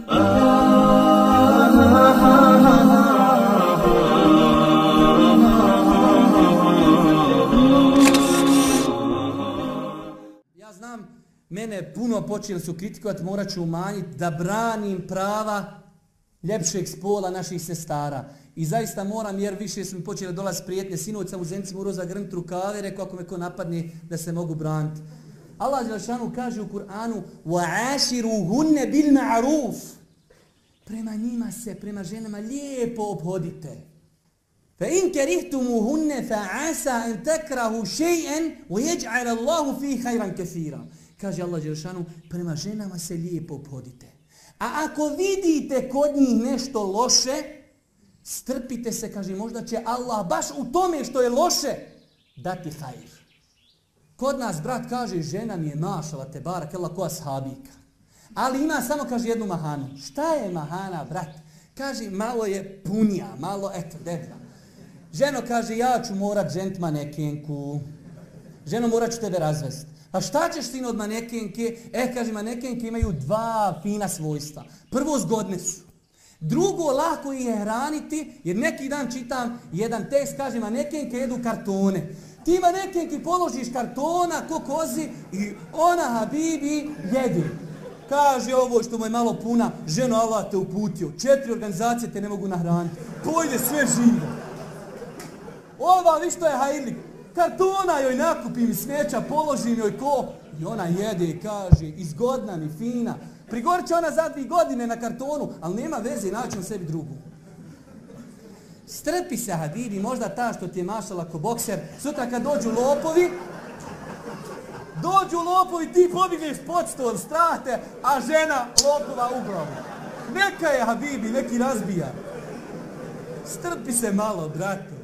Ja znam, mene puno počeli su kritikovati, morat ću umanjiti da branim prava ljepšeg spola naših sestara. I zaista moram, jer više su mi počeli dolaziti prijetnje. Sinoć sam u Zenci morao zagrnuti rukave, rekao ako me ko napadne da se mogu braniti. Allah dželešanu kaže u Kur'anu وَعَاشِرُهُنَّ بِالْمَعْرُوفِ. Prema njima se, prema ženama lijepo obhodite. فَإِنْ كَرِهْتُمُهُنَّ فَعَسَا أَنْ تَكْرَهُ شَيْئًا وَيَجْعَلَ اللَّهُ فِيهِ خَيْرًا كَثِيرًا. Kaže Allah dželešanu, prema ženama se lijepo obhodite. A ako vidite kod njih nešto loše, strpite se, kaže, možda će Allah baš u tome što je loše dati hajr. Kod nas brat kaže, žena mi je mašala te barak, ko ashabika. Ali ima samo, kaže, jednu mahanu. Šta je mahana, brat? Kaže, malo je punija, malo, eto, deblja. Ženo, kaže, ja ću morat ženit manekenku. Ženo, morat ću tebe razvesti. A šta ćeš sin od manekenke? Kaže, manekenke imaju dva fina svojstva. Prvo, zgodne su. Drugo, lako ih je hraniti, jer neki dan čitam jedan tekst, kaže, manekenke jedu kartone. Ti manekenki položiš kartona ko kozi i ona, habibi, jedi. Kaže ovo što mu je malo puna, ženo, Allah te uputio. 4 organizacije te ne mogu nahraniti. Pojde sve živo. Ova, vi što je hajirlik. Kartona joj nakupim i smeća, položim joj ko. I ona jede i kaže, izgodna mi, fina. Prigorit će ona za 2 godine na kartonu, ali nema veze, naći u sebi drugu. Strpi se, habibi, možda ta što ti je mašala ko bokser, sutra kad dođu lopovi, ti pobigneš pod stol, strate, a žena lopova u glavu. Neka je, habibi, neki razbija. Strpi se malo, brate.